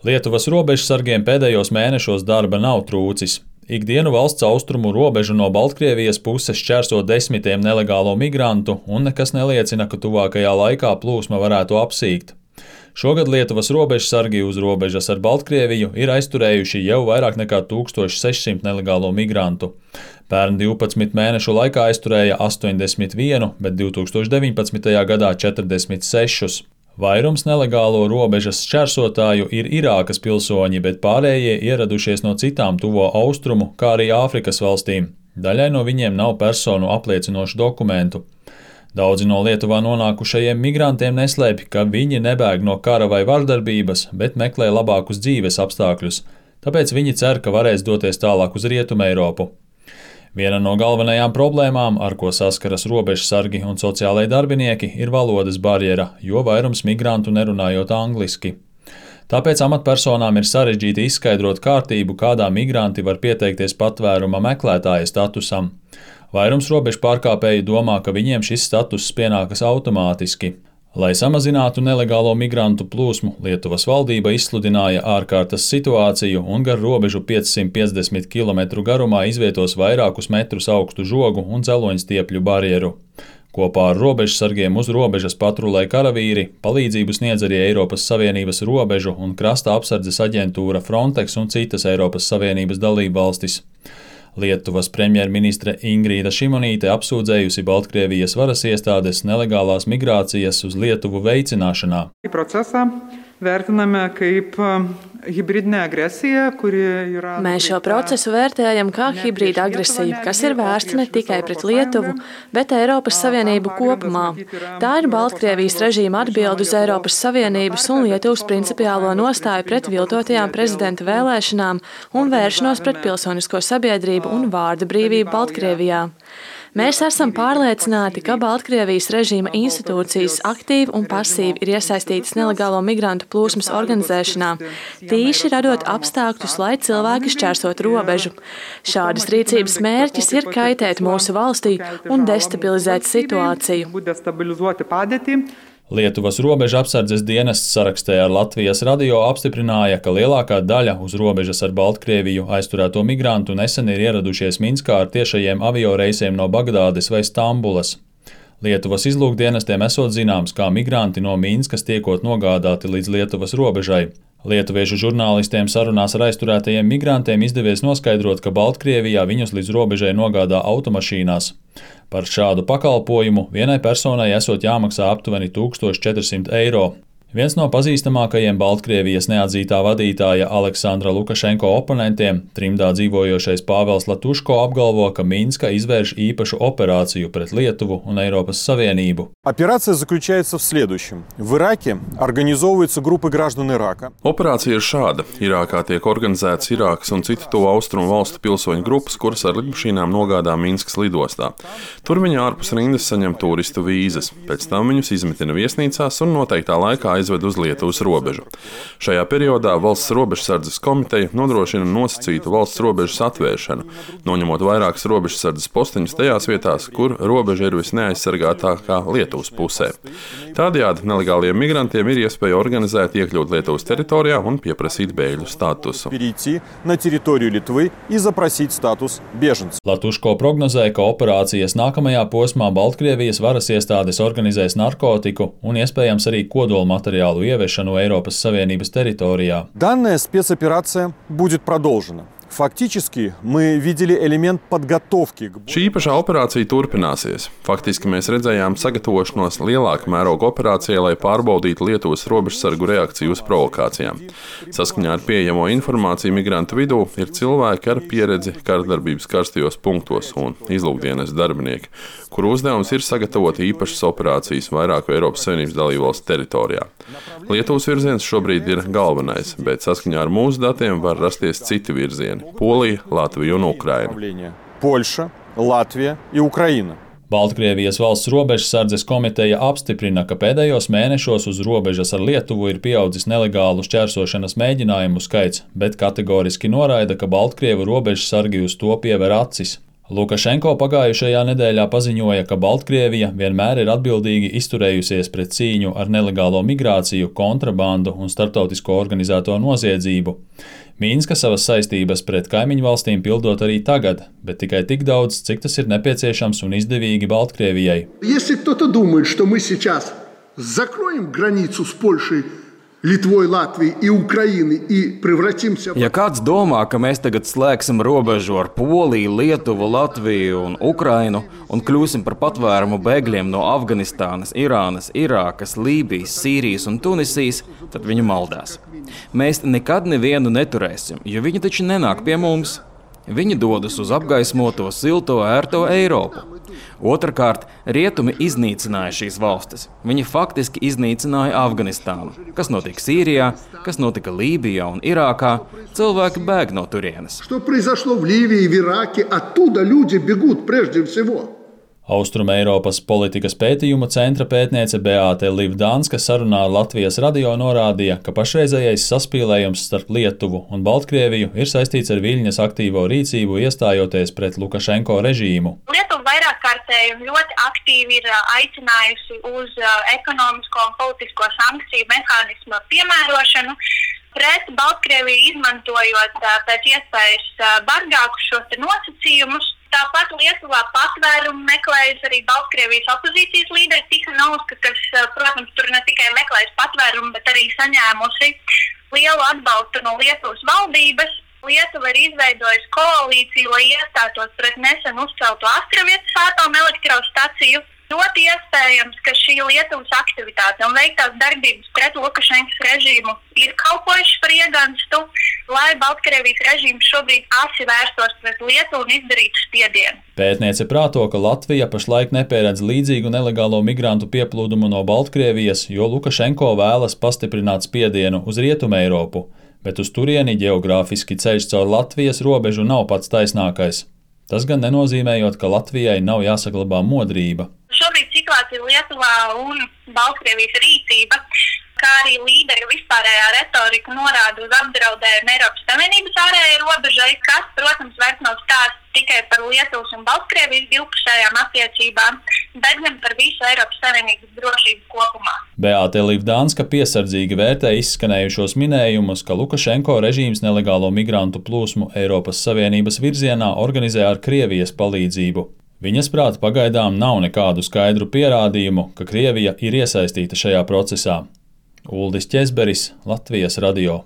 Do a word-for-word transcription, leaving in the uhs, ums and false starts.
Lietuvas robežsargiem pēdējos mēnešos darba nav trūcis. Ikdienu valsts austrumu robežu no Baltkrievijas puses šķērso desmitiem nelegālo migrantu, un nekas neliecina, ka tuvākajā laikā plūsma varētu apsīkt. Šogad Lietuvas robežsargi uz robežas ar Baltkrieviju ir aizturējuši jau vairāk nekā tūkstoš sešsimt nelegālo migrantu. Pērn divpadsmit mēnešu laikā aizturēja astoņdesmit vienu, bet divtūkstoš deviņpadsmitajā gadā četrdesmit sešus. Vairums nelegālo robežas šķērsotāju ir Irākas pilsoņi, bet pārējie ieradušies no citām tuvo austrumu, kā arī Āfrikas valstīm. Daļai no viņiem nav personu apliecinošu dokumentu. Daudzi no Lietuvā nonākušajiem migrantiem neslēpj, ka viņi nebēg no kara vai vardarbības, bet meklē labākus dzīves apstākļus, tāpēc viņi cer, ka varēs doties tālāk uz Rietumu Eiropu. Viena no galvenajām problēmām, ar ko saskaras robežsargi un sociālai darbinieki, ir valodas barjera, jo vairums migrantu nerunājot angliski. Tāpēc amatpersonām ir sarežģīti izskaidrot kārtību, kādā migranti var pieteikties patvēruma meklētāja statusam. Vairums robežu pārkāpēju domā, ka viņiem šis status pienākas automātiski. Lai samazinātu nelegālo migrantu plūsmu, Lietuvas valdība izsludināja ārkārtas situāciju un gar robežu piecsimt piecdesmit kilometru garumā izvietos vairākus metrus augstu žogu un dzeloņstiepļu barjeru. Kopā ar robežsargiem uz robežas patrulē karavīri, palīdzību sniedz arī Eiropas Savienības robežu un krasta apsardzes aģentūra Frontex un citas Eiropas Savienības dalībvalstis. Lietuvas premjerministre Ingrīda Šimonīte apsūdzējusi Baltkrievijas varas iestādes nelegālās migrācijas uz Lietuvu veicināšanā. Procesā vērtiname kaip hibridinė agresija, kuri yra... Mēs šo procesu vērtējam kā hibrīda agresiju, kas ir vērsta ne tikai pret Lietuvu, bet Eiropas Savienību kopumā. Tā ir Baltkrievijas režīma atbilde uz Eiropas Savienības un Lietuvas principiālo nostāju pret viltotajām prezidenta vēlēšanām un vēršanos pret pilsonisko sabiedrību un vārda brīvību Baltkrievijā. Mēs esam pārliecināti, ka Baltkrievijas režīma institūcijas aktīvi un pasīvi ir iesaistītas nelegālo migrantu plūsmas organizēšanā, tīši radot apstākļus, lai cilvēki šķērsot robežu. Šādas rīcības mērķis ir kaitēt mūsu valstī un destabilizēt situāciju. Lietuvas robeža apsardzes dienests sarakstē ar Latvijas radio apstiprināja, ka lielākā daļa uz robežas ar Baltkrieviju aizturēto migrantu nesen ir ieradušies Minskā ar tiešajiem avioreisiem no Bagdādes vai Stambulas. Lietuvas izlūkdienestiem esot zināms, kā migranti no Minskas tiekot nogādāti līdz Lietuvas robežai. Lietuviešu žurnālistiem sarunās ar aizturētajiem migrantiem izdevies noskaidrot, ka Baltkrievijā viņus līdz robežai nogādā automašīnās. Par šādu pakalpojumu vienai personai esot jāmaksā aptuveni tūkstoš četrsimt eiro. Viens no pazīstamākajiem Baltkrievijas neatzītā vadītāja Aleksandra Lukašenko oponentiem, trimdā dzīvojošais Pāvels Latuško, apgalvo, ka Minska izvērš īpašu operāciju pret Lietuvu un Eiropas Savienību. Операция заключается в следующем. В Ираке организовываются группы граждан Ирака. Operācija ir šāda. Irākā tiek organizētas Irākas un citu tuvu austrumu valstu pilsoņu grupas, kuras ar lidmašīnām nogādā Minskas lidostā. Tur viņi ārpus rindas saņem turistu vīzas. Pēc tam viņus izmetina viesnīcās un noteiktā laikā aizved uz Lietuvas robežu. Šajā periodā Valsts robežsardzes komiteja nodrošina nosacītu valsts robežas atvēršanu, noņemot vairākas robežsardzes posteņus tajās vietās, kur robeža ir visneaizsargātākā Lietuvas pusē. Tādējādi nelegāliem migrantiem ir iespēja organizēt iekļūt Lietuvas teritorijā un pieprasīt bēgļu statusu. Latuško prognozēja, ka operācijas nākamajā posmā Baltkrievijas varas iestādes organizēs narkotiku un iespējams arī kodolmateriālu материалу ieviešanu Eiropas Savienības teritorijā. Данная спецоперация будет продолжена. Faktiski мы видели элемент подготовки. Šī īpašā operācija turpināsies. Faktiski mēs redzējām sagatavošanos lielāka mēroga operācijai, lai pārbaudītu Lietuvas robežsargu reakciju uz provokācijām. Saskaņā ar pieejamo informāciju migrantu vidū ir cilvēki ar pieredzi karadarbības karstajos punktos un izlūkdienas darbinieki, kuru uzdevums ir sagatavot īpašas operācijas vairāku Eiropas Savienības dalībvalstu teritorijā. Lietuvas virziens šobrīd ir galvenais, bet saskaņā ar mūsu datiem var rasties citi virzieni. Polija, Latvija un Ukraina. Polša, Latvija un Ukraina. Baltkrievijas valsts robežsardzes komiteja apstiprina, ka pēdējos mēnešos uz robežas ar Lietuvu ir pieaudzis nelegālu šķērsošanas mēģinājumu skaits, bet kategoriski noraida, ka Baltkrievu robežsargi uz to piever acis. Lukašenko pagājušajā nedēļā paziņoja, ka Baltkrievija vienmēr ir atbildīgi izturējusies pret cīņu ar nelegālo migrāciju, kontrabandu un starptautisko organizēto noziedzību. Mīnska savas saistības pret kaimiņu valstīm pildot arī tagad, bet tikai tik daudz, cik tas ir nepieciešams un izdevīgi Baltkrievijai. Если кто-то думает, что мы сейчас закроем границу с Польшей, Litvoj, Latviju и Ukraini и превратимся... Ja kāds domā, ka mēs tagad slēgsim robežu ar Poliju, Lietuvu, Latviju un Ukrainu un kļūsim par patvērumu bēgļiem no Afganistānas, Irānas, Irākas, Lībijas, Sīrijas un Tunisijas, tad viņi maldās. Mēs nekad nevienu neturēsim, jo viņi taču nenāk pie mums. Viņi dodas uz apgaismoto, silto, ērto Eiropu. Otrakārt, rietumi iznīcināja šīs valstis. Viņi faktiski iznīcināja Afganistānu. Kas notika Sīrijā, kas notika Lībijā un Irākā, cilvēki bēg no turienes. Что произошло в Ливии и в Ираке, оттуда люди бегут прежде всего. Austrumeiropas politikas pētījuma centra pētniece Beāte Livdānska sarunā ar Latvijas radio norādīja, ka pašreizējais saspīlējums starp Lietuvu un Baltkrieviju ir saistīts ar Viļņas aktīvo rīcību iestājoties pret Lukašenko režīmu. Lietuva vairāk kārtēji un ļoti aktīvi ir aicinājusi uz ekonomisko un politisko sankciju mehānismu piemērošanu pret Baltkrieviju, izmantojot pēc iespējas bargākus šos nosacījumus. Tāpat Lietuvā patvērumu meklējas arī Baltkrievijas opozīcijas līderi Tihanovska, kas, protams, tur ne tikai meklējas patvērumu, bet arī saņēmusi lielu atbalstu no Lietuvas valdības. Lietuva ir izveidojusi koalīciju, lai iestātos pret nesen uzcelto Astravietas atomelektrostaciju. Ļoti iespējams, ka šī Lietuvas aktivitāte un veiktās darbības pret Lukašenkas režīmu ir kalpojuši par ieganstu, lai Baltkrievijas režīms šobrīd asi vērstos pret Lietuvu un izdarītu spiedienu. Pētniece prāto, ka Latvija pašlaik nepieredz līdzīgu nelegālo migrantu pieplūdumu no Baltkrievijas, jo Lukašenko vēlas pastiprināt spiedienu uz Rietumu Eiropu, bet uz turieni geogrāfiski ceļš caur Latvijas robežu nav pats taisnākais. Tas gan nenozīmējot, ka Latvijai nav jāsaglabā modrība. Šobrīd situācija Lietuvā un Baltkrievijas rīcība, kā arī līderu vispārējā retorika norāda uz apdraudējumu Eiropas Savienības ārējai robežai, kas, protams, vairs nav stāsts tikai par Lietuvas un Baltkrievijas divpusējām attiecībām, bet gan par visu Eiropas Savienības drošību kopumā. Beāte Livdānska piesardzīgi vērtē izskanējušos minējumus, ka Lukašenko režīms nelegālo migrantu plūsmu Eiropas Savienības virzienā organizē ar Krievijas palīdzību. Viņas prāt pagaidām nav nekādu skaidru pierādījumu, ka Krievija ir iesaistīta šajā procesā. Uldis Ķezberis, Latvijas radio.